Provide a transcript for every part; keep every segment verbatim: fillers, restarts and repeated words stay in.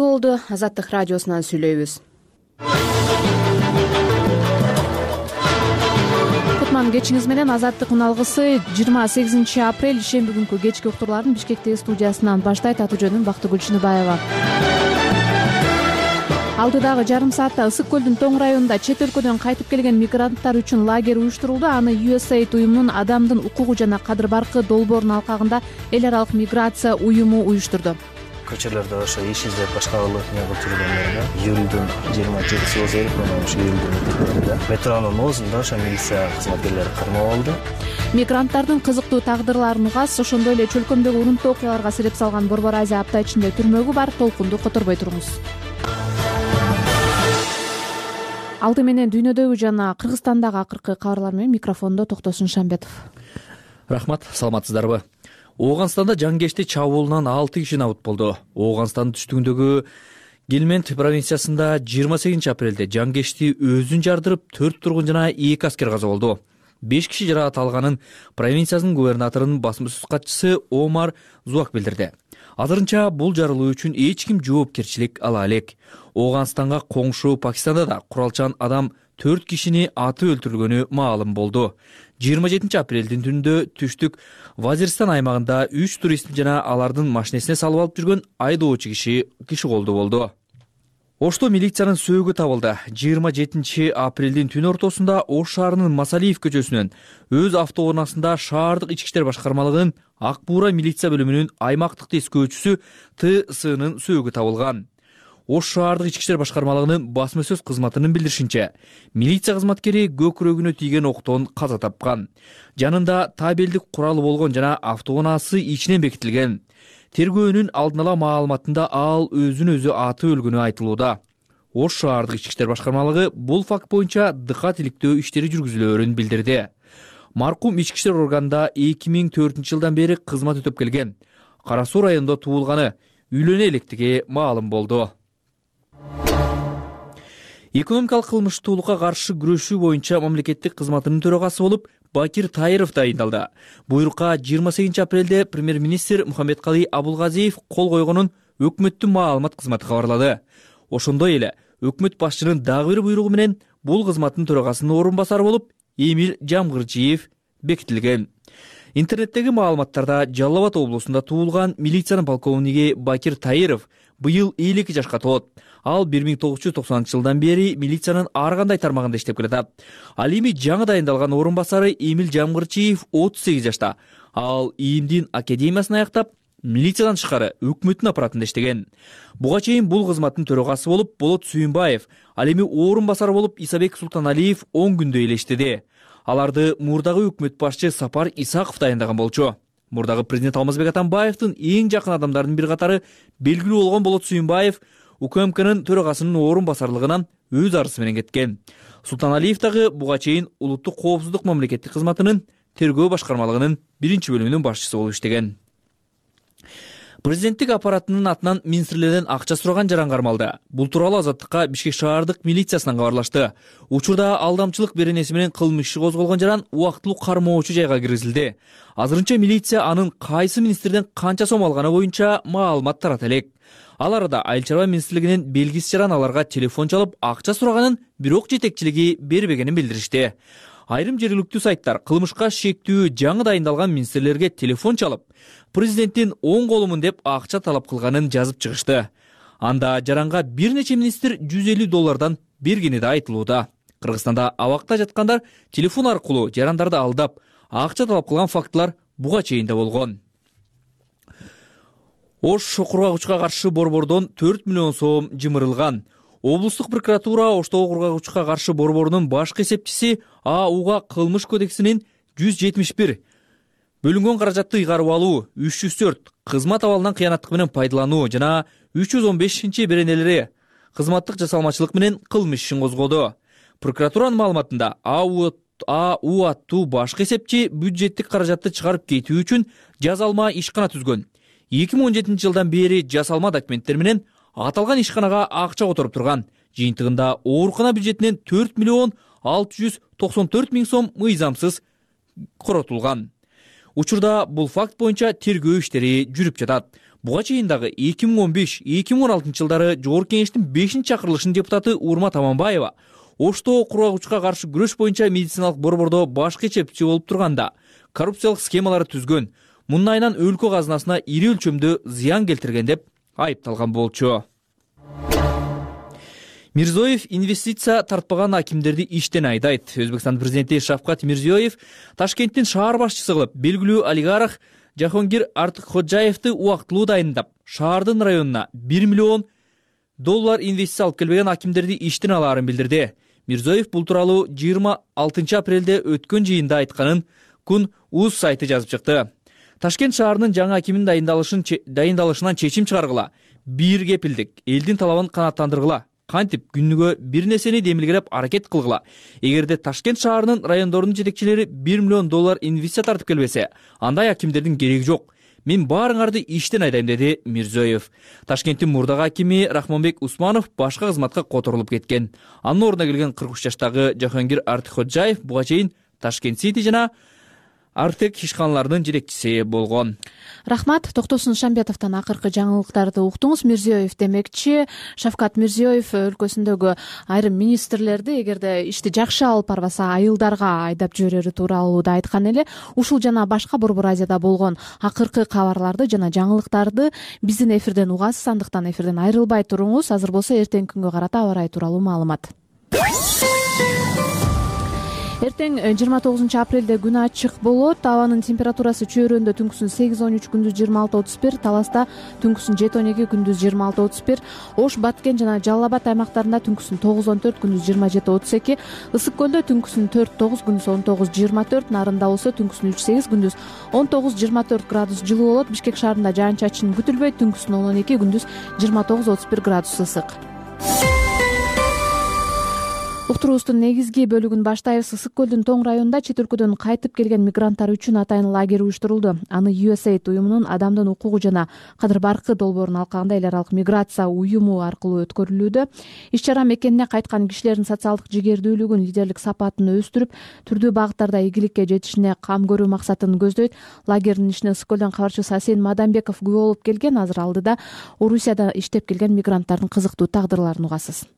Болду, Азаттык радиосунан сүйлөйбүз. Кутман кечиңиз менен. Азаттык үналгысы жыйырма сегизинчи апрель ишемби күнкү кечки уктурларын Бишкектеги студиясынан баштайт. Аты жөнүм Бактыгүл Чыныбаева. Алдыдагы жарым саатта Ысык көлдүн Тоң районунда чет өлкөдөн кайтып келген мигранттар үчүн лагерь уюштурулду. Аны ю эс эйд уюмунун Адамдын укугу жана кадыр баркы долбоорунун алкагында эл аралык миграция уюму уюштурду. Көчөлөрдө ошо иш издеп башка кылып эмне кылып жүргөндөрүндө июлдун жыйырма жетиси болсо керек, мен ошо июлдун метелеринде метронун оозунда ошо милиция кызматкерлери кармоо болду. Мигранттардын кызыктуу тагдырларын угас, ошондой эле чөлкөмдөгү урунттуу окуяларга себеп салган Борбор Азия апта ичинде түрмөгү бар. Толкунду которбой туруңуз. Алды менен дүйнөдөгү жана Кыргызстандагы акыркы кабарлар менен микрофондо Токтосун Шамбетов. Рахмат, саламатсыздарбы? Ооганстанда жангешти чабуулунан алты киши набыт болду. Ооганстандын түштүгүндөгү Гелмент провинциясында жыйырма сегизинчи апрелде жангешти өзүн жардырып, төрт тургун жана эки аскер каза болду. беш киши жаракат алганын провинциянын губернаторунун басма сөз катчысы Омар Зуак билдирди. Азырынча бул жарылуу үчүн эч ким жоопкерчилик ала элек. Ооганстанга коңшу Пакистанда да куралчан адам төрт кишини атып өлтүрүлгөнү маалым болду. жыйырма жетинчи апрелдин түнүндө түштүк Вазиристан аймагында үч турист жана алардын машинесине салып алып жүргөн айдоочу киши киши колду болду. Ошто милициянын сөөгү табылды. жыйырма жетинчи апрелдин түн ортосунда Ош шаарынын Масалиев көчөсүнөн өз автоунаасында шаардык ички иштер башкармалыгынын Ак Буура милиция бөлүмүнүн аймактык тескөөчүсү Т Сынын сөөгү табылган. Ош шаардык ички иштер башкармалыгынын басма сөз кызматынын билдиришинче, милиция кызматкери көкүрөгүнө тийген октон каза тапкан. Жанында табелдик куралы болгон жана автоунаасы ичинен бекитилген. Тергөөнүн алдын ала маалыматында ал өзүн өзү атып өлгөнү айтылууда. Ош шаардык ички иштер башкармалыгы бул факт боюнча дыкат иликтөө иштери жүргүзүлөөрүн билдирди. Маркум ички иштер органында эки миң төртүнчү жылдан бери кызмат өтөп келген. Кара Суу районунда туулганы, үйлөнө электиги маалым болду. Экономикалык кылмыштуулукка каршы күрөшүү боюнча мамлекеттик кызматынын төрагасы болуп Бакир Тайыров дайындалды. Буйрукка жыйырма сегизинчи апрелде премьер-министр Мухаммедкалый Абулгазиев кол койгонун өкмөттүн маалымат кызматы кабарлады. Ошондой эле өкмөт башчынын дагы бир буйругу менен бул кызматтын төрагасынын орун басары болуп Эмил Жамгырчиев бекитилген. Интернеттеги маалыматтарда Жалал Абад облусунда туулган милициянын полковниги Бакир Тайыров быйыл элүү эки жашка толот. Ал бир миң тогуз жүз токсонунчу жылдан бери милициянын ар кандай тармагында иштеп келатат. Ал эми жаңы дайындалган орун басары Эмил Жамгырчиев отуз сегиз жашта. Ал ИИМдин академиясын аяктап, милициядан тышкары өкмөттүн аппаратында иштеген. Буга чейин бул кызматтын төрагасы болуп Болот Сүйүнбаев, ал эми орун басары болуп Исабек Султаналиев он күндөй эле иштеди. Аларды мурдагы өкмөт башчы Сапар Исаков дайындаган болчу. Мурдагы президент Алмазбек Атамбаевдин эң жакын адамдарынын бир катары белгилүү болгон Болот Сүйүнбаев УКМКнын төрагасынын орун басарлыгынан өз арызы менен кеткен. Султаналиев дагы буга чейин улуттук коопсуздук мамлекеттик кызматынын тергөө башкармалыгынын биринчи бөлүмүнүн башчысы болуп иштеген. Президенттик аппаратынын атынан министрлерден акча сураган жаран кармалды. Бул тууралуу Азаттыкка Бишкек шаардык милициясынан кабарлашты. Учурда алдамчылык беренеси менен кылмыш иши козголгон жаран убактылуу кармоочу жайга киргизилди. Азырынча милиция анын кайсы министрден канча сом алганы боюнча маалымат тарата элек. Ал арада Айыл чарба министрлигинин белгисиз жаран аларга телефон чалып акча сураганын, бирок жетекчилиги бербегенин билдиришти. Айрым жергиликтүү сайттар кылмышка шектүү жаңы дайындалган министрлерге телефон чалып, президенттин оң колумун деп акча талап кылганын жазып чыгышты. Анда жаранга бир нече министр жүз элүү доллардан бергени да айтылууда. Кыргызстанда абакта жаткандар телефон аркылуу жарандарды алдап, акча талап кылган фактылар буга чейин да болгон. Ош кургагычка каршы борбордон төрт миллион сом жымырылган. Облустук прокуратура Оштогу кургагычка каршы борборунун башкы эсепчиси АУга кылмыш кодексинин жүз жетимиш бир бөлүнгөн каражатты ыйгарып алуу, үч жүз төрт кызмат абалынан кыянаттык менен пайдалануу жана үч жүз он бешинчи беренелери кызматтык жасалмачылык менен кылмыш ишин козгоду. Прокуратуранын маалыматында АУ АУ аттуу башкы эсепчи бюджеттик каражатты чыгарып кетүү үчүн жазалма ишкана түзгөн. эки миң он жетинчи жылдан бери жасалма документтер менен аталган ишканага акча которуп турган. Жыйынтыгында оорукана бюджетинен төрт миллион алты жүз токсон төрт миң сом мыйзамсыз коротулган. Учурда бул факт боюнча тергөө иштери жүрүп жатат. Буга чейин дагы эки миң он беш эки миң он алтынчы жылдары Жогорку Кеңештин бешинчи чакырылышынын депутаты Урмат Аманбаева Ошто кургагычка каршы күрөш боюнча медициналык борбордо баш кечепчи болуп турганда коррупциялык схемалар түзгөн, мунун айынан өлкө казынасына ири өлчөмдө зыян келтирген деп айыпталган болчу. Мирзиёев инвестиция тартпаган акимдерди иштен айдайт. Өзбекстан президенти Шавкат Мирзиёев Ташкенттин шаар башчысы кылып белгилүү олигарх Жахонгир Артыкходжаевди убактылуу дайындап, шаардын районуна бир миллион доллар инвестиция алып келбеген акимдерди иштен алаарын билдирди. Мирзиёев бул тууралуу жыйырма алтынчы апрелде өткөн жыйында айтканын Күн УЗ сайты жазып чыкты. Ташкент шаарынын жаңы акимин дайындалышын дайындалышынан чечим чыгаргыла, бир кепилдик, элдин талабын канааттандыргыла, кантип күнүгө бир нерсени демилгелеп аракет кылгыла. Эгерде Ташкент шаарынын райондорунун жетекчилери бир миллион доллар инвестиция тартып келбесе, андай акимдердин кереги жок. Мен баарыңарды иштен айдайм, деди Мирзиёев. Ташкенттин мурдагы акими Рахмонбек Усманов башка кызматка которулуп кеткен. Анын ордуна келген кырк үч жаштагы Жахонгир Артыкходжаев буга чейин Ташкент Сити жана Артек ишканаларынын жетекчиси болгон. Рахмат. Токтосун Шамбетовдон акыркы жаңылыктарды уктуңуз. Мирзиёев демекчи, Шавкат Мирзиёев өлкөсүндөгү айрым министрлерди эгерде ишти жакшы алып барбаса айылдарга айдап жиберери тууралуу да айткан эле. Ушул жана башка Борбор Азияда болгон акыркы кабарларды жана жаңылыктарды биздин эфирден угасыз, андыктан эфирден айрылбай туруңуз. Азыр болсо эртеңки күнгө карата аба ырайы тууралуу маалымат. Эртең жыйырма тогузунчу апрелде күн ачык болот. Абанын температурасы чөйрөндө түнкүсүн сегиз он үч, күндүз жыйырма алты отуз бир, Таласта түнкүсүн жети он эки, күндүз жыйырма алты отуз бир, Ош, Баткен жана Жалал Абад аймактарында түнкүсүн тогуз он төрт, күндүз жыйырма жети отуз эки, Ысык көлдө түнкүсүн төрт тогуз, күндүз он тогуз жыйырма төрт, Нарында болсо түнкүсүн үч сегиз, күндүз он тогуз жыйырма төрт градус жылуу болот. Бишкек шаарында жаан-чачын күтүлбөйт, түнкүсүн он он эки, күндүз жыйырма тогуз отуз бир градус ысык. Уктуруубуздун негизги бөлүгүн баштайбыз. Ысык көлдүн Тоң районунда чет өлкөдөн кайтып келген мигранттар үчүн атайын лагерь уюштурулду. Аны ю эс эй ай ди уюмунун Адамдын укугу жана кадыр баркы долбоорунун алкагында эл аралык миграция уюму аркылуу өткөрүлүүдө. Иш чара мекенине кайткан кишилердин социалдык жигердүүлүгүн, лидерлик сапатын өстүрүп, түрдүү багыттарда ийгиликке жетишине кам көрүү максатын көздөйт. Лагердин ишине Ысык көлдөн кабарчыбыз Асен Мадамбеков күбө болуп келген. Азыр алдыда Орусияда иштеп келген мигранттардын кызыктуу тагдырларын угасыз.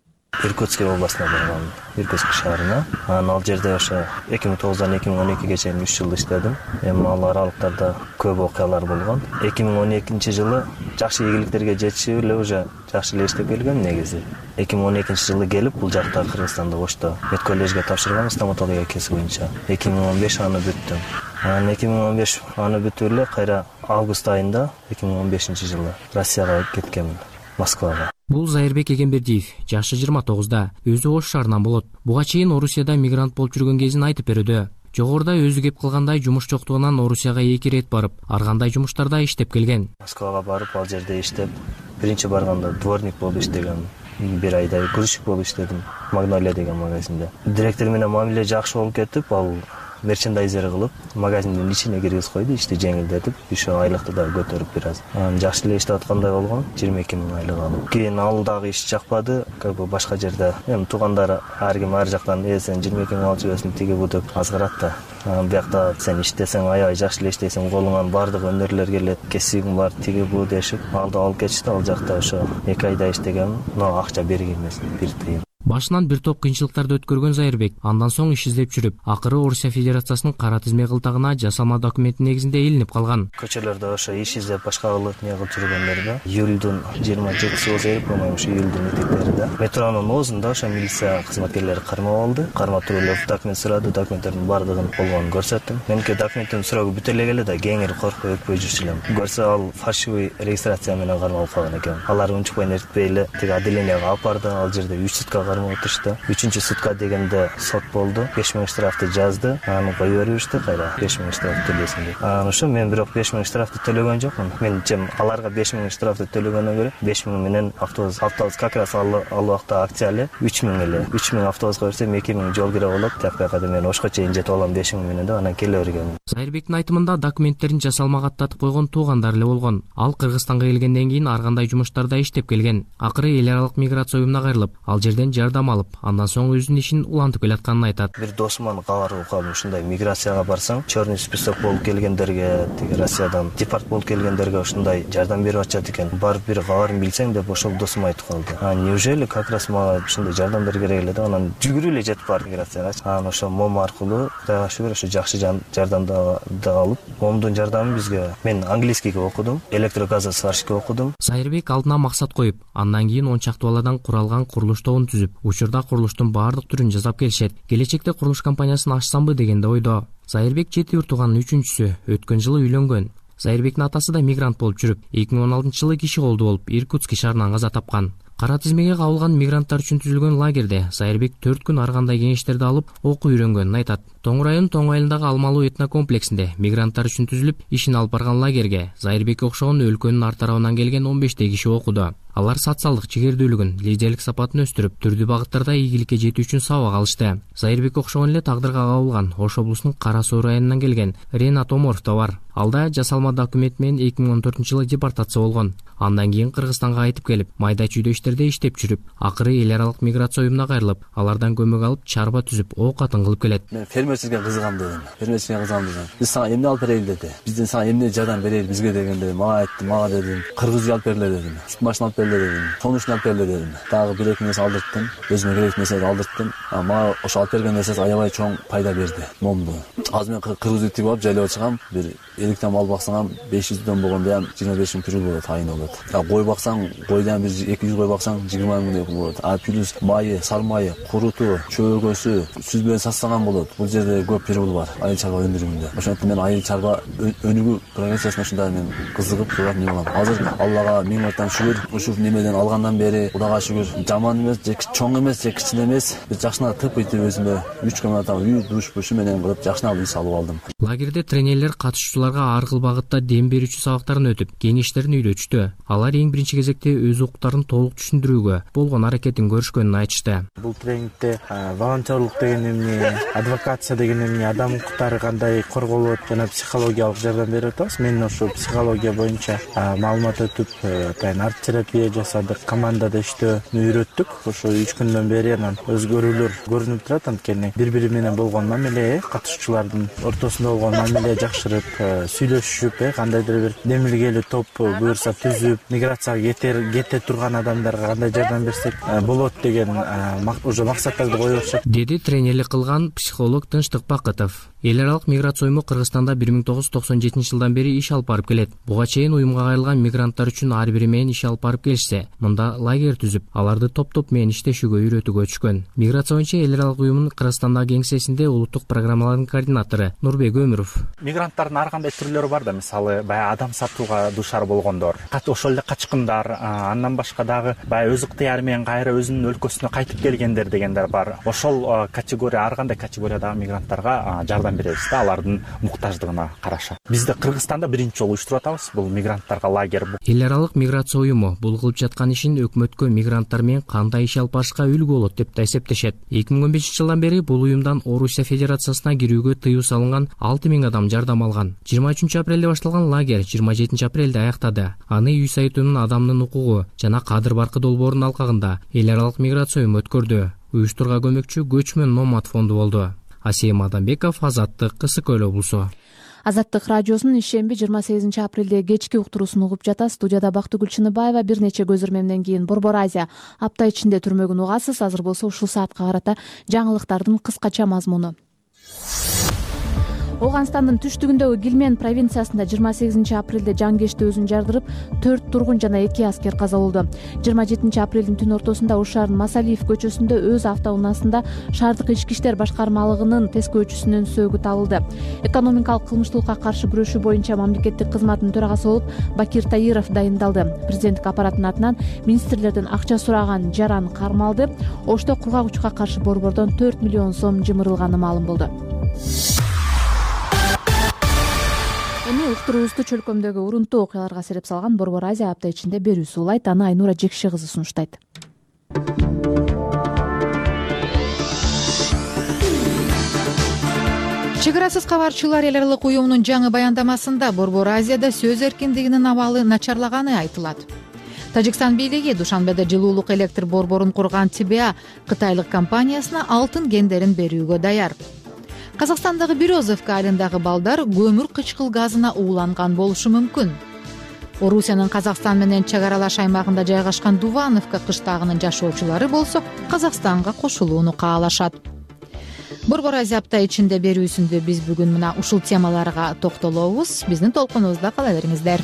Иркутский областына баргам, Иркутск шаарына. Анан ал жерде ошо эки миң тогуздан эки миң он экиге чейин үч жыл иштедим. Эми ал аралыктарда көп окуялар болгон. эки миң он экинчи жылы жакшы ийгиликтерге жетишип эле уже жакшы эле иштеп келгем негизи. эки миң он экинчи жылы келип бул жакта Кыргызстанда Ошто медколлежге тапшыргам стоматология кесиби боюнча. эки миң он беш аны бүттүм. Анан эки миң он беш аны бүтүп эле кайра август айында эки миң он бешинчи жылы Россияга кеткенмин, Москвага. Бул Зайырбек Эгембердиев, жашы жыйырма тогузда, өзү Ош шаарынан болот. Буга чейин Орусияда мигрант болуп жүргөн кезин айтып берүүдө. Жогоруда өзү кеп кылгандай жумуш жоктугунан Орусияга эки ирет барып, ар кандай жумуштарда иштеп келген. Москвага барып, ал жерде иштеп, биринчи барганда дворник болуп иштегем. Бир айдай грузчик болуп иштедим, Магнолия деген магазинде. Директор менен мамиле жакшы болуп кетип, ал мерчендайзер кылып, магазиндин ичине киргизип койду, ишти жеңилдетип, ошо айлыкты да көтөрүп бир аз. Анан жакшы эле иштеп аткандай болгон, жыйырма эки миң айлык алып. Кийин ал дагы иш жакпады, как бы башка жерде, эми туугандар ар ким ар жактан э сен жыйырма эки миң алып жүрөсүң, тиги бу деп азгырат да. Анан биякта сен иштесең, аябай жакшы эле иштейсиң, колуңан баардык өнөрлөр келет, кесибиң бар, тиги бу дешип, алды алып кетишти. Ал жакта ошо эки айда иштегем, но акча берген эмес, бир тыйын. Башынан бир топ кыйынчылыктарды өткөргөн Зайырбек андан соң иш издеп жүрүп, акыры Орусия Федерациясынын кара тизме кылтагына жасалма документтин негизинде илинип калган. Көчөлөрдө ошо иш издеп башка кылып не кылып жүргөндөрдө июлдун жыйырма жетиси болсо керек, по-моему, ошо июлдун этектеринде метронун оозунда ошо милиция кызматкерлери кармап алды. Кармап туруп эле документ сурады, документтердин баардыгын болгонун көрсөттүм. Меники документтин сурагы бүтө эле келди да, кеңири коркпой өкпөй жүрчү элем. Көрсө ал фальшивый регистрация менен кармалып калган экен. Алар унчукпай нертпей эле тиги отделенияга алып барды. Ал жерде үч сутка кармап отурушту. Үчүнчү сутка дегенде сот болду, беш миң штрафты жазды. Аны коюп беришти, кайра беш миң штраф төлөсүн деп. Анан ошо мен бирок беш миң штрафты төлөгөн жокмун. Мен чем аларга беш миң штрафты төлөгөндөн көрө беш миң менен автобус автобус как раз ал ал убакта акция эле үч миң эле. үч миң автобуска берсем эки миң жол кире болот. Тапкада мен Ошко чейин жетип алам беш миң менен деп анан келе бергем. Зайырбектин айтымында документтерин жасалмага аттатып койгон туугандар эле болгон. Ал Кыргызстанга келгенден кийин ар кандай жумуштарда иштеп келген. Акыры эл аралык миграция уюмуна кайрылып, ал жерден жардам алып, андан соң өзүнүн ишин улантып келатканын айтат. Бир досуман кабар угуп калдым, ушундай миграцияга барсаң, черный список болуп келгендерге, тиги Россиядан депорт болуп келгендерге ушундай жардам берип атышат экен. Барып бир кабарын билсең деп ошол досум айтып калды. А неужели как раз мага ушундай жардамдар керек эле деп анан жүгүрүп эле жетип бардым миграциягачы. Анан ошо мом аркылуу Кудайга шүгүр ошо жакшы жардамды алып, момдун жардамы бизге, мен английскийге окудум, электрогазосварщикке окудум. Сайырбек алдына максат коюп, андан кийин он чакты баладан куралган курулуш тобун түзүп, учурда курулуштун баардык түрүн жасап келишет. Келечекте курулуш компаниясын ачсамбы дегенде ойдо. Сайырбек жети үй тууганын үчүнчүсү, өткөн жылы үйлөнгөн. Сайырбектин атасы да мигрант болуп жүрүп, эки миң он алтынчы жылы киши колду болуп Иркутск шаарынан каза тапкан. Кара тизмеге кабылган мигранттар үчүн түзүлгөн лагерде Сайырбек төрт күн ар кандай кеңештерди алып, окуу үйрөнгөнүн айтат. Тоң районунун Тоң айылындагы Алмалуу этно комплексинде мигранттар үчүн түзүлүп, ишин алып барган лагерге Сайырбекке окшогон өлкөнүн ар тарабынан келген он бештей киши окуду. Алар социалдык чегердүүлүгүн, лидерлик сапатын өстүрүп, түрдүү багыттарда ийгиликке жетүү үчүн сабак алышты. Сайырбекке окшогон эле тагдырга кабылган Ош облусунун Кара Суу районунан келген Ренат Оморов да бар. Алда жасалма документ менен эки миң он төртүнчү жылы депортация болгон. Андан кийин Кыргызстанга кайтып келип, майда чүйдө иштерде иштеп жүрүп, акыры эл аралык миграция уюмуна кайрылып, алардан көмөк алып, чарба түзүп, оокатын кылып келет. Мен фермерчиликке кызыгам дедим. Фермерчиликке кызыгам дедим. Биз сага эмне алып берели деди. Бизден сага эмне жардам берели бизге дегенде, мага айтты, мага дедим, кыргыз үй алып берле дедим, сүт машина алып берле дедим, сонучун алып берле дедим. Дагы бир эки нерсе алдырттым, өзүмө керектүү нерселерди алдырттым. А мага ошо алып берген нерсеси аябай чоң пайда берди, момду. Азыр мен кыргыз үй тигип алып жайлап чыгам, бир эликтен мал баксаң беш жүздөн болгондо ham жыйырма беш миң пүрүл болот, айын болот. А кой баксаң, койдон бир эки жүз кой баксаң жыйырма миң болот. А плюс майы, сал майы, куруту, чөөгөсү, сүт менен сасаган болот. Бул жерде көп пүрүл бар айыл чарба өндүрүмүндө. Ошондуктан мен айыл чарба өнүгүү прогрессиясына ушундай мен кызыгып турат не болом. Азыр Аллага миң мартан шүгүр, ушул немеден алгандан бери Кудайга шүгүр, жаман эмес, же чоң эмес, же кичине эмес, бир жакшына тып итип өзүмө үч комната үй, душ, бушу менен кылып жакшына үй салып алдым. Лагерде тренерлер катышуучуларга ар кыл багытта дем берүүчү сабактарын өтүп, кеңештерин үйрөтүштү. Алар эң биринчи кезекте өз укуктарын толук түшүндүрүүгө болгон аракетин көрүшкөнүн айтышты. Бул тренингде волонтерлук деген эмне, адвокация деген эмне, адам укуктары кандай корголот жана психологиялык жардам берип атабыз. Мен ошо психология боюнча маалымат өтүп, атайын арт терапия жасадык, командада иштөөнү үйрөттүк. Ошо үч күндөн бери анан өзгөрүүлөр көрүнүп турат. Анткени бири-бири менен болгон мамиле, катышуучулардын ортосунда болгон мамиле жакшырып, сүйлөшүп, кандайдыр бир демилгелүү топ буюрса түзүп, миграцияга кете турган адамдарга кандай жардам берсек болот деген уже максаттарды коюп атышат, деди тренерлик кылган психолог Тынчтык Бакытов. Эл аралык миграция уюму Кыргызстанда бир миң тогуз жүз токсон жетинчи жылдан бери иш алып барып келет. Буга чейин уюмга кайрылган мигранттар үчүн ар бири менен иш алып барып келишсе, мында лагерь түзүп, аларды топ-топ менен иштешүүгө үйрөтүүгө өчкөн. Миграция боюнча эл аралык уюмунун Кыргызстандагы кеңсесинде улуттук программалардын координатору Нурбек Өмүров. Мигранттардын ар кандай түрлөрү бар да, мисалы баягы адам сатууга дуушар болгондор, ошол эле качкындар, андан башка дагы баягы өз ыктыяры менен кайра өзүнүн өлкөсүнө кайтып келгендер дегендер бар. Ошол категория, ар кандай категориядагы мигранттарга жардам беребиз да, алардын муктаждыгына караша. Бизде Кыргызстанда биринчи жолу уюштуруп атабыз бул мигранттарга лагерь. Эл аралык миграция уюму бул кылып жаткан ишин өкмөткө мигранттар менен кандай иш алып барышка үлгү болот деп да эсептешет. эки миң он бешинчи жылдан бери бул уюмдан Орусия Федерациясына кирүүгө тыюу салынган алты миң адам жардам алган. жыйырма үчүнчү апрелде башталган лагерь жыйырма жетинчи апрелде аяктады. Аны үй сайтынын адамдын укугу жана кадыр баркы долбоорунун алкагында эл аралык миграция уюму өткөрдү. Уюштурга көмөкчү Көчмөн Номад фонду болду. Асем Адамбеков, Азаттык, Кысык Көл облусу. Азаттык радиосунун ишемби жыйырма сегизинчи апрелде кечки уктуруусун угуп жатасыз. Студияда Бактыгүл Чыныбаева. Бир нече көзөрмөмдөн кийин Борбор Азия апта ичинде түрмөгүн угасыз. Азыр болсо ушул саатка карата жаңылыктардын кыскача мазмуну. Ооганстандын түштүгүндөгү Гилмен провинциясында жыйырма сегизинчи апрелде жангешти өзүн жардырып, төрт тургун жана эки аскер каза болду. жыйырма жетинчи апрелдин түн ортосунда Ош шаарынын Масалиев көчөсүндө өз автоунаасында шаардык ички иштер башкармалыгынын тескөөчүсүнүн сөөгү табылды. Экономикалык кылмыштуулукка каршы күрөшүү боюнча мамлекеттик кызматтын төрагасы болуп Бакир Таиров дайындалды. Президенттик аппараттын атынан министрлерден акча сураган Жаран кармалды. Ошто кургак учка каршы борбордон төрт миллион сом жымырылганы маалым болду. Эми уктуруубузду чөлкөмдөгү урунтуу окуяларга сереп салган Борбор Азия апта ичинде берүүсү улайт. Аны Айнура Жекши кызы сунуштайт. Чек арасыз кабарчылар эл аралык уюмунун жаңы баяндамасында Борбор Азияда сөз эркиндигинин абалы начарлаганы айтылат. Тажикстан бийлиги Душанбеде жылуулук электр борборун курган ТБА кытайлык компаниясына алтын кендерин берүүгө даяр. Казакстандагы Березовка айылындагы балдар көмүр кычкыл газына ууланган болушу мүмкүн. Орусиянын Казакстан менен чек аралаш аймагында жайгашкан Дувановка кыштагынын жашоочулары болсо Казакстанга кошулууну каалашат. Борбор Азия апта ичинде берүүсүндө биз бүгүн мына ушул темаларга токтолобуз. Биздин толкунубузда кала бериңиздер.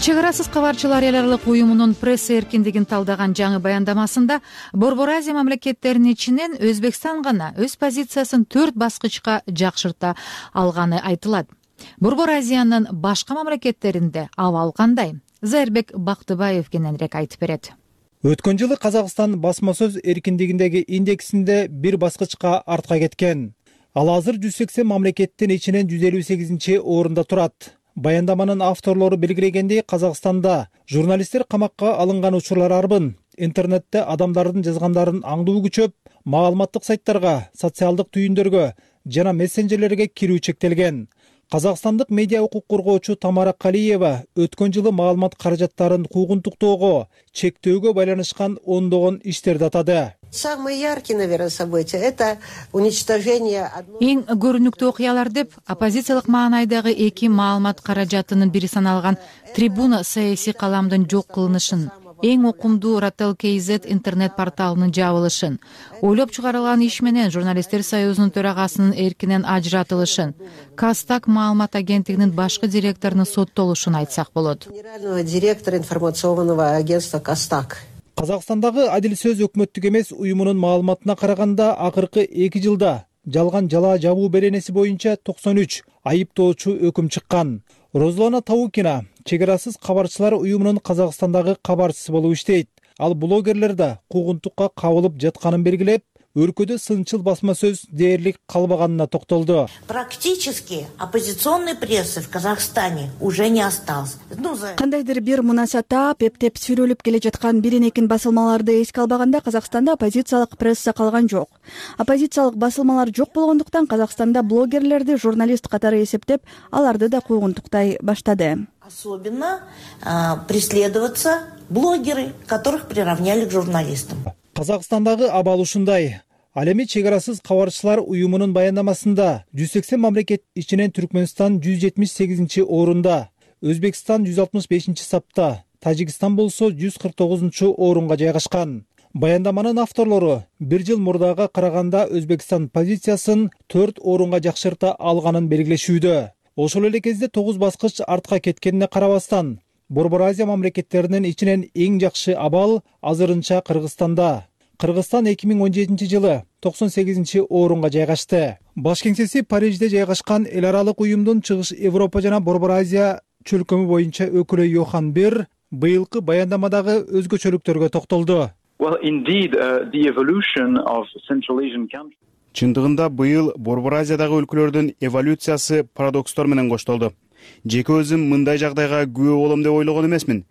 Чек арасыз кабарчылар эл аралык уюмунун пресс эркиндигин талдаган жаңы баяндамасында Борбор Азия мамлекеттеринин ичинен Өзбекстан гана өз позициясын төрт баскычка жакшырта алганы айтылат. Борбор Азиянын башка мамлекеттеринде абал кандай? Зайырбек Бактыбаев кененирээк айтып берет. Өткөн жылы Казакстан басма сөз эркиндигиндеги индексинде бир баскычка артка кеткен. Ал азыр жүз сексен мамлекеттин ичинен жүз элүү сегизинчи орунда турат. Баяндаманын авторлору белгилегендей, Казакстанда журналисттер камакка алынган учурлар арбын. Интернетте адамдардын жазгандарын аңдуу күчөп, маалыматтык сайттарга, социалдык түйүндөргө жана мессенджерлерге кирүү чектелген. Казакстандык медиа укук коргоочу Тамара Калиева өткөн жылы маалымат каражаттарын куугунтуктоого, чектөөгө байланышкан ондогон иштерди атады. Самые яркие, наверное, события – это уничтожение. Эң көрүнүктүү окуялар деп оппозициялык маанайдагы эки маалымат каражатынын бири саналган Трибуна саясий каламдын жок кылынышын, эң окумдуу Ротел кей зет интернет порталынын жабылышын, ойлоп чыгарылган иш менен журналисттер союзунун төрагасынын эркинен ажыратылышын, Кастак маалымат агенттигинин башкы директорунун соттолушун айтсак болот. Генерального директора информационного агентства Кастак. Казакстандагы Адил сөз өкмөттүк эмес уюмунун маалыматына караганда акыркы эки жылда жалган жалаа жабуу беренеси боюнча токсон үч айыптоочу өкүм чыккан. Розлана Таукина чек арасыз кабарчылар уюмунун Казакстандагы кабарчысы болуп иштейт. Ал блогерлер да куугунтукка кабылып жатканын белгилеп, өлкөдө сынчыл басма сөз дээрлик калбаганына токтолду. Практически оппозиционной прессы в Казахстане уже не осталось. Кандайдыр бир мунаса таап, эптеп сүрөлүп келе жаткан бирин-экин басылмаларды эске албаганда Казакстанда оппозициялык пресса калган жок. Оппозициялык басылмалар жок болгондуктан Казакстанда блогерлерди журналист катары эсептеп, аларды да куугунтуктай баштады. Особенно э, преследоваться блогеры, которых приравняли к журналистам. Казакстандагы абал ушундай. Ал эми чек арасыз кабарчылар уюмунун баяндамасында жүз сексен мамлекет ичинен Түркмөнстан жүз жетимиш сегизинчи орунда, Өзбекстан жүз алтымыш бешинчи сапта, Тажикстан болсо жүз кырк тогузунчу орунга жайгашкан. Баяндаманын авторлору бир жыл мурдага караганда Өзбекстан позициясын төрт орунга жакшырта алганын белгилешүүдө. Ошол эле кезде тогуз баскыч артка кеткенине карабастан, Борбор Азия мамлекеттеринин ичинен эң жакшы абал азырынча Кыргызстанда. Кыргызстан эки миң он жетинчи жылы токсон сегизинчи орунга жайгашты. Баш кеңсеси Парижде жайгашкан эл аралык уюмдун Чыгыш Европа жана Борбор Азия чөлкөмү боюнча өкүлү Йохан Бер быйылкы баяндамадагы өзгөчөлүктөргө токтолду. Well, indeed, uh, the evolution of Central Asian countries. Чындыгында быйыл Борбор Азиядагы өлкөлөрдүн эволюциясы парадокстор менен коштолду. Жеке өзүм мындай жагдайга күбө болом деп ойлогон эмесмин.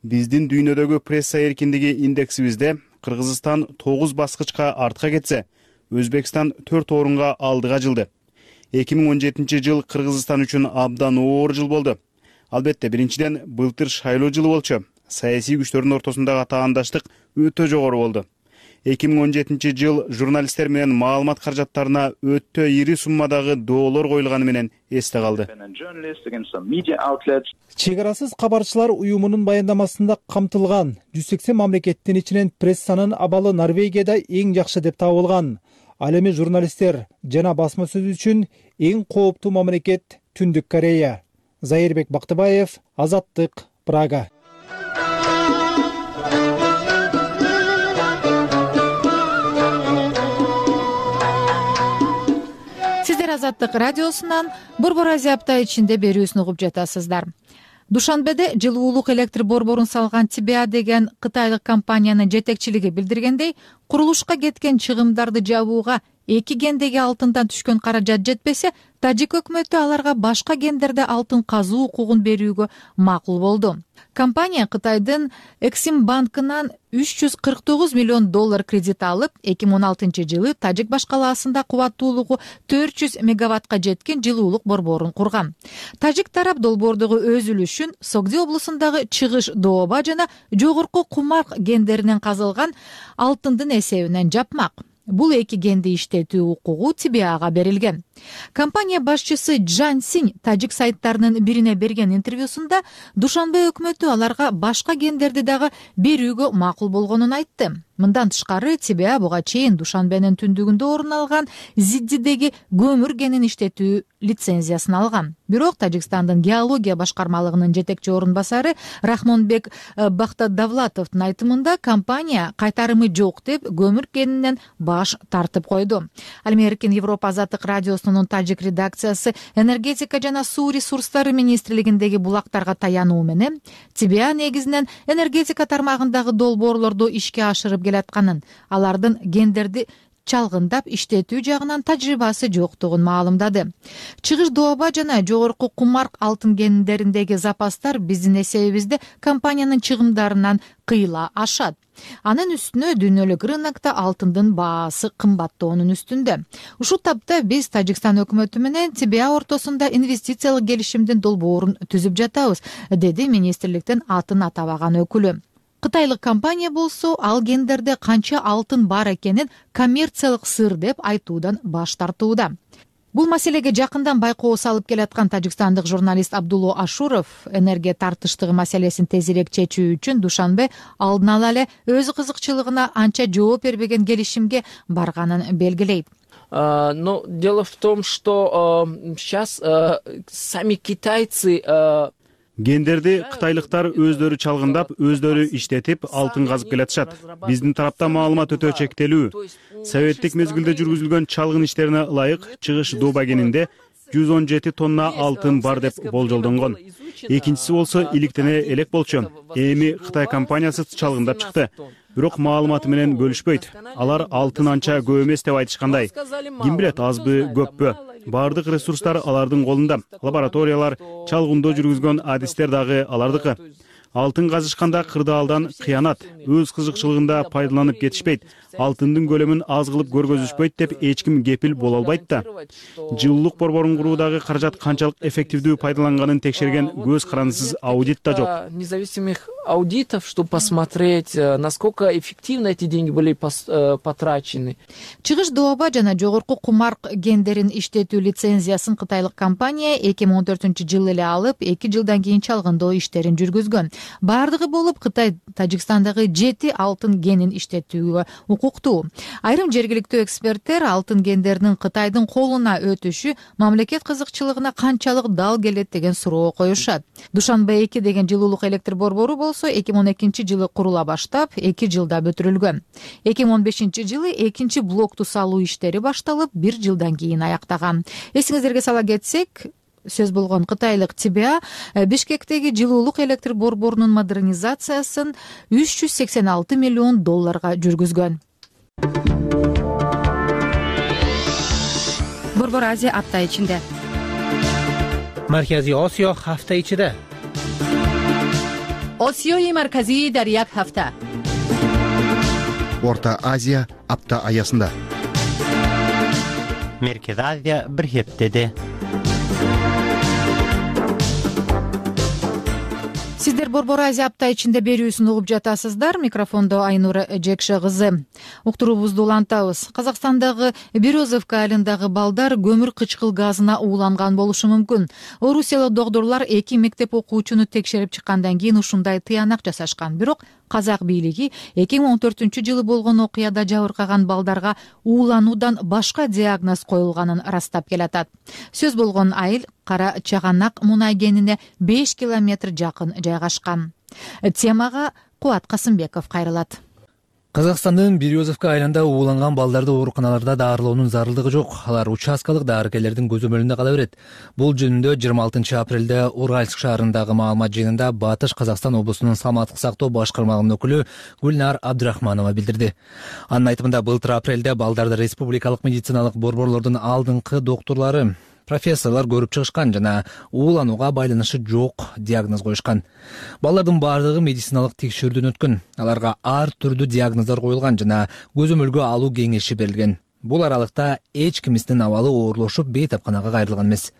Биздин дүйнөдөгү пресса эркиндиги индексибизде Кыргызстан тогуз баскычка артка кетсе, Өзбекстан төрт орунга алдыга жылды. эки миң он жетинчи жыл Кыргызстан үчүн абдан оор жыл болду. Албетте, биринчиден былтыр шайлоо жылы болчу. Саясий күчтөрдүн ортосундагы таандаштык өтө жогору болду. эки миң он жетинчи жыл журналисттер менен маалымат каражаттарына өтө ири суммадагы доолор коюлганы менен эсте калды. Чек арасыз кабарчылар уюмунун баяндамасында камтылган жүз сексен мамлекеттин ичинен прессанын абалы Норвегияда эң жакшы деп табылган. Ал эми журналисттер жана басма сөз үчүн эң кооптуу мамлекет Түндүк Корея. Зайырбек Бактыбаев, Азаттык, Прага. Азаттык радиосунан Борбор Азия апта ичинде берүүсүн угуп жатасыздар. Душанбеде жылуулук электр борборун салган ТБА деген кытайлык компаниянын жетекчилиги билдиргендей, курулушка кеткен чыгымдарды жабууга эки гендеги алтындан түшкөн каражат жетпесе, тажик өкмөтү аларга башка гендерде алтын казуу укугун берүүгө макул болду. Компания Кытайдын Эксим банкынан үч жүз кырк тогуз миллион доллар кредит алып, эки миң он алтынчы жылы Тажик башкалаасында кубаттуулугу төрт жүз мегаваттка жеткен жылуулук борборун курган. Тажик тарап долбоордогу өз үлүшүн Согди облусундагы Чыгыш дооба жана жогорку Кумарк гендеринен казылган алтындын эсебинен жапмак. Бул эки генди иштетүү укугу Ти Би Ага берилген. Компания башчысы Джан Синь тажик сайттарынын бирине берген интервьюсунда Душанбе өкмөтү аларга башка гендерди дагы берүүгө макул болгонун айтты. Мындан тышкары Ти Би А буга чейин Душанбенин түндүгүндө орун алган Зиддидеги көмүр генин иштетүү лицензиясын алган. Бирок Тажикстандын геология башкармалыгынын жетекчи орун басары Рахмонбек Бахтадавлатовдун айтымында компания кайтарымы жок деп көмүр генинен баш тартып койду. Ал эми Эркин Европа азаттык радиосунун тажик редакциясы энергетика жана суу ресурстары министрлигиндеги булактарга таянуу менен Ти Би А негизинен энергетика тармагындагы долбоорлорду ишке ашырып келатканын, алардын гендерди чалгындап иштетүү жагынан тажрыйбасы жоктугун маалымдады. Чыгыш дооба жана жогорку Кумарк алтын гендериндеги запастар биздин эсебибизде компаниянын чыгымдарынан кыйла ашат. Анын үстүнө дүйнөлүк рынокто алтындын баасы кымбаттоонун үстүндө. Ушул тапта биз Тажикстан өкмөтү менен Ти Би А ортосунда инвестициялык келишимдин долбоорун түзүп жатабыз, деди министрликтин атын атабаган өкүлү. Кытайлык компания болсо ал гендерде канча алтын бар экенин коммерциялык сыр деп айтуудан баш тартууда. Бул маселеге жакындан байкоо салып келаткан тажикстандык журналист Абдулло Ашуров энергия тартыштыгы маселесин тезирээк чечүү үчүн Душанбе алдын ала эле өз кызыкчылыгына анча жооп бербеген келишимге барганын белгилейт. Но дело в том, что сейчас сами китайцы гендерди кытайлыктар өздөрү чалгындап, өздөрү иштетип, алтын казып келатышат. Биздин тарапта маалымат өтө чектелүү. Советтик мезгилде жүргүзүлгөн чалгын иштерине ылайык Чыгыш дооба кенинде жүз он жети тонна алтын бар деп болжолдонгон. Экинчиси болсо иликтене элек болчу. Эми Кытай компаниясы чалгындап чыкты. Бирок маалыматы менен бөлүшпөйт. Алар алтын анча көп эмес деп айтышкандай. Ким билет, азбы, көппү? Бардык ресурстар алардын колунда. Лабораториялар, чалгындоо жүргүзгөн адистер дагы алардыкы. Алтын казышканда кырдаалдан кыянат, өз кызыкчылыгында пайдаланып кетишпейт. Алтындын көлөмүн аз кылып көргөзүшпөйт деп эч ким кепил боло албайт да. Жылуулук борборун куруудагы каражат канчалык эффективдүү пайдаланганын текшерген көз карандысыз аудит да жок. Независимых аудитов, чтобы посмотреть, насколько эффективно эти деньги были потрачены. Чыгыш дооба жана жогорку Кумарк гендерин иштетүү лицензиясын кытайлык компания эки миң он төртүнчү жылы эле алып, эки жылдан кийин чалгындоо иштерин жүргүзгөн. Бардыгы болуп Кытай Тажикстандагы жети алтын генин иштетүүгө укуктуу. Айрым жергиликтүү эксперттер алтын гендеринин Кытайдын колуна өтүшү мамлекет кызыкчылыгына канчалык дал келет деген суроо коюшат. Душанбе эки деген жылуулук электр борбору болсо эки миң он экинчи жылы курула баштап, эки жылда бүтүрүлгөн. эки миң он бешинчи жылы экинчи блокту салуу иштери башталып, бир жылдан кийин аяктаган. Эсиңиздерге сала кетсек, сөз болгон кытайлык Ти Би А Бишкектеги жылуулук электр борборунун модернизациясын үч жүз сексен алты миллион долларга жүргүзгөн. Борбор Азия апта ичинде. Марказий Осиё ҳафта ичида. Осиёи марказӣ дар як ҳафта. Орта Азия апта аясында. Меркез Азия бир хептеде. Сиздер Борбор Азия апта ичинде берүүсүн угуп жатасыздар. Микрофондо Айнура Жекше кызы. Уктуруубузду улантабыз. Казакстандагы Березовка айылындагы балдар көмүр кычкыл газына ууланган болушу мүмкүн. Орусиялык доктурлар эки мектеп окуучуну текшерип чыккандан кийин ушундай тыянак жасашкан. Бирок казак бийлиги эки миң он төртүнчү жылы болгон окуяда жабыркаган балдарга уулануудан башка диагноз коюлганын ырастап келатат. Сөз болгон айыл Кара Чаганак мунай кенине беш километр жакын жайгашкан. Темага Кубат Касымбеков кайрылат. Казакстандын Березовка айылында ууланган балдарды ооруканаларда даарылоонун зарылдыгы жок. Алар участкалык дарыгерлердин көзөмөлүндө кала берет. Бул жөнүндө жыйырма алтынчы апрелде Уральск шаарындагы маалымат жыйынында Батыш Казакстан облусунун саламаттык сактоо башкармалыгынын өкүлү Гүлнар Абдрахманова билдирди. Анын айтымында былтыр апрелде балдарды республикалык медициналык борборлордун алдыңкы доктурлары, профессорлор көрүп чыгышкан жана ууланууга байланышы жок диагноз коюшкан. Балдардын баардыгы медициналык текшерүүдөн өткөн. Аларга ар түрдүү диагноздор коюлган жана көзөмөлгө алуу кеңеши берилген. Бул аралыкта эч кимиздин абалы оорлошуп бейтапканага кайрылган эмес.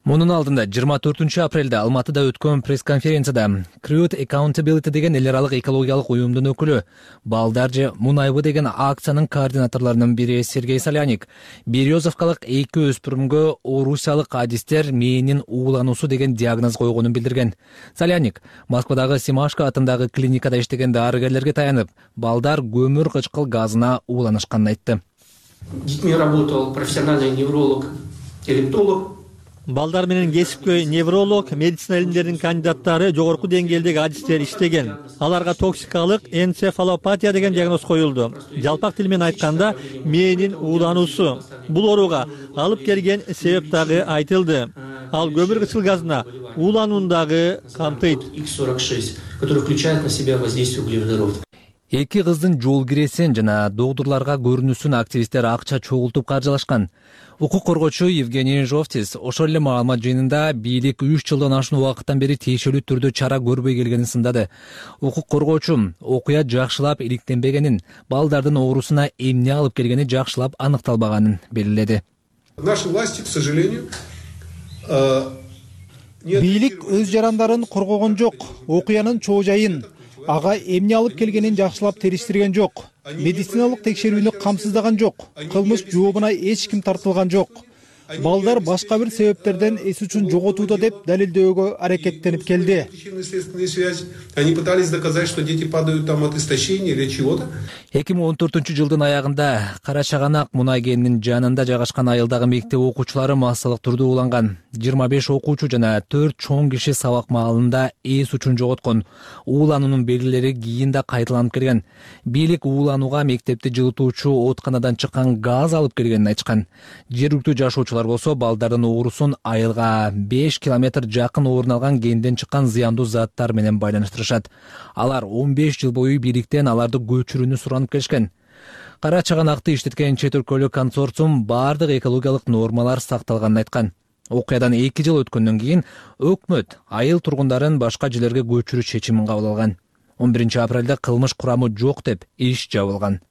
Мунун алдында жыйырма төртүнчү апрелде Алматыда өткөн пресс-конференцияда Crude Accountability деген эл аралык экологиялык уюмдун өкүлү, балдар же мунайбы деген акциянын координаторлорунун бири Сергей Соляник Березовкалык эки өспүрүмгө орусиялык адистер мээнин уулануусу деген диагноз койгонун билдирген. Соляник Москвадагы Симашко атындагы клиникада иштеген дарыгерлерге таянып, балдар көмүр кычкыл газына ууланышканын айтты. С детьми работал профессиональный невролог, электолог. Балдар менен кесипкөй невролог, медицина илимдеринин кандидаттары, жогорку деңгээлдеги адистер иштеген. Аларга токсикалык энцефалопатия деген диагноз коюлду. Жалпак тил менен айтканда, мээнин уулануусу. Бул ооруга алып келген себеп дагы айтылды. Ал көмүр кычкыл газына ууланууну дагы камтыйт. икс сорок шесть, который включает на себя воздействие углеводородов. Эки кыздын жол киресин жана доктурларга көрүнүүсүн активисттер акча чогултуп каржылашкан. Укук коргоочу Евгений Жовтис ошол эле маалымат жыйынында бийлик үч жылдан ашуун убакыттан бери тиешелүү түрдө чара көрбөй келгенин сындады. Укук коргоочу окуя жакшылап иликтенбегенин, балдардын оорусуна эмне алып келгени жакшылап аныкталбаганын белгиледи. Наши власти, к сожалению, бийлик өз жарандарын коргогон жок, окуянын чоо жайын, ага эмне алып келгенин жакшылап териштирген жок. Медициналык текшерүүнү камсыздаган жок. Кылмыш жообуна эч ким тартылган жок. Балдар башка бир себептерден эс үчүн жоготууда деп далилдөөгө аракеттенип келди. Они пытались доказать, что дети падают там от истощения или чего-то. эки миң он төртүнчү жылдын аягында Кара Чаганак мунай кенинин жанында жайгашкан айылдагы мектеп окуучулары массалык түрдө ууланган. жыйырма беш окуучу жана төрт чоң киши сабак маалында эс үчүн жоготкон. Уулануунун белгилери кийин да кайталанып келген. Бийлик ууланууга мектепти жылытуучу оотканадан чыккан газ алып келгенин айтышкан. Жергиликтүү жашоочулар болсо балдардын оорусун айылга беш километр жакын орун алган кенден чыккан зыяндуу заттар менен байланыштырышат. Алар он беш жыл бою бийликтен аларды көчүрүүнү суранып келишкен. Кара Чаганакты иштеткен чет өлкөлүк консорциум бардык экологиялык нормалар сакталганын айткан. Окуядан эки жыл өткөндөн кийин өкмөт айыл тургундарын башка жерлерге көчүрүү чечимин кабыл алган. он биринчи апрелде кылмыш курамы жок деп иш жабылган.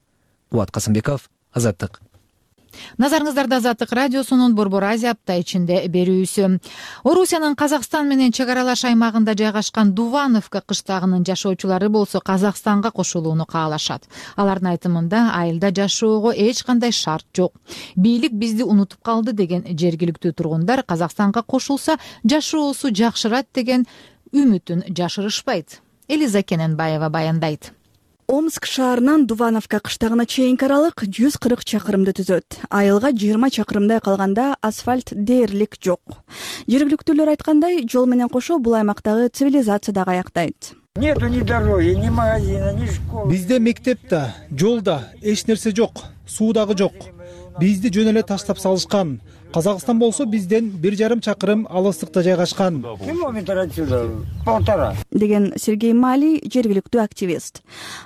Кубат Касымбеков, Азаттык. Назарыңыздарда Азаттык радиосунун Борбор Азия апта ичинде берүүсү. Орусиянын Казакстан менен чек аралаш аймагында жайгашкан Дувановка кыштагынын жашоочулары болсо Казакстанга кошулууну каалашат. Алардын айтымында айылда жашоого эч кандай шарт жок. Бийлик бизди унутуп калды деген жергиликтүү тургундар Казакстанга кошулса жашоосу жакшырат деген үмүтүн жашырышпайт. Элиза Кененбаева баяндайт. Омск шаарынан Дувановка кыштагына чейинки аралык жүз кырк чакырымды түзөт. Айылга жыйырма чакырымдай калганда асфальт дээрлик жок. Жергиликтүүлөр айткандай, жол менен кошо бул аймактагы цивилизация дагы аяктайт. Нету ни дороги, ни магазина, ни школы. Бизде мектеп да, жол да, эч нерсе жок, суу дагы жок. Бизди жөн эле таштап салышкан. Казакстан болсо бизден бир жарым чакырым алыстыкта жайгашкан. Километр отсюда, полтора. Деген Сергей Мали жергиликтүү активист.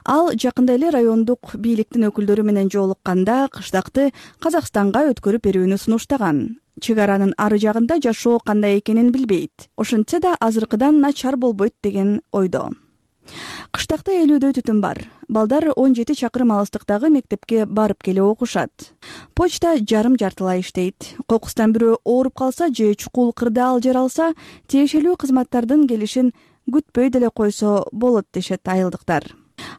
Ал жакында эле райондук бийликтин өкүлдөрү менен жолукканда кыштакты Казакстанга өткөрүп берүүнү сунуштаган. Чек аранын ары жагында жашоо кандай экенин билбейт. Ошентсе да азыркыдан начар болбойт деген ойдо. Кыштакта элүүдөй түтүн бар. Балдар он жети чакырым алыстыктагы мектепке барып келе окушат. Почта жарым жартылай иштейт. Кокустан бирөө ооруп калса же чукул кырдаал жаралса, тиешелүү кызматтардын келишин күтпөй деле койсо болот дешет айылдыктар.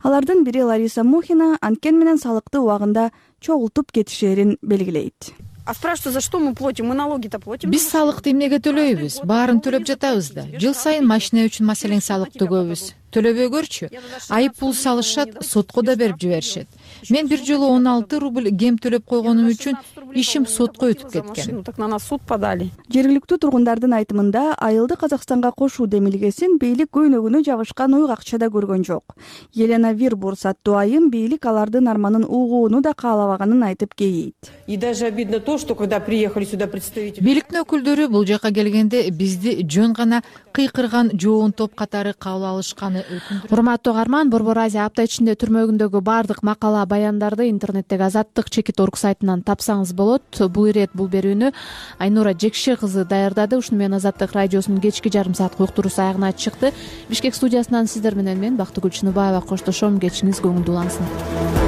Алардын бири Лариса Мухина анткени менен салыкты убагында чогултуп кетишерин белгилейт. А спрашивают, за что мы платим? Мы налоги-то платим. Биз салыкты эмнеге төлөйбүз? Баарын төлөп жатабыз да. Жыл сайын машина үчүн маселен салык төгөбүз. Төлөбөй көрчү. Айып пул салышат, сотко да берип жиберишет. мен бир жолу он алты рубль кем төлөп койгонум үчүн ишим сотко өтүп кеткен. Так на нас суд подали. Жергиликтүү тургундардын айтымында айылды Казакстанга кошуу демилгесин бийлик көйнөгүнө жабышкан уйгакчада көргөн жок. Елена Вирбурс аттуу айым бийлик алардын арманын угууну да каалабаганын айтып кейейт. И даже обидно то, что когда приехали сюда представители бийликтин өкүлдөрү бул жака келгенде бизди жөн гана кыйкырган жоон топ катары кабыл алышканы өкүндүрөт. Урматтуу угарман, Борбор Азия апта ичинде түрмөгүндөгү баардык макала баяндарды интернеттеги Азаттык чекит орг сайтынан тапсаңыз болот. Бул ирет бул берүүнү Айнура Жекше кызы даярдады. Ушуну менен Азаттык радиосунун кечки жарым саат уктуруусу аягына чыкты. Бишкек студиясынан сиздер менен мен Бактыгүл Чыныбаева коштошом. Кечиңиз көңүлдүү улансын.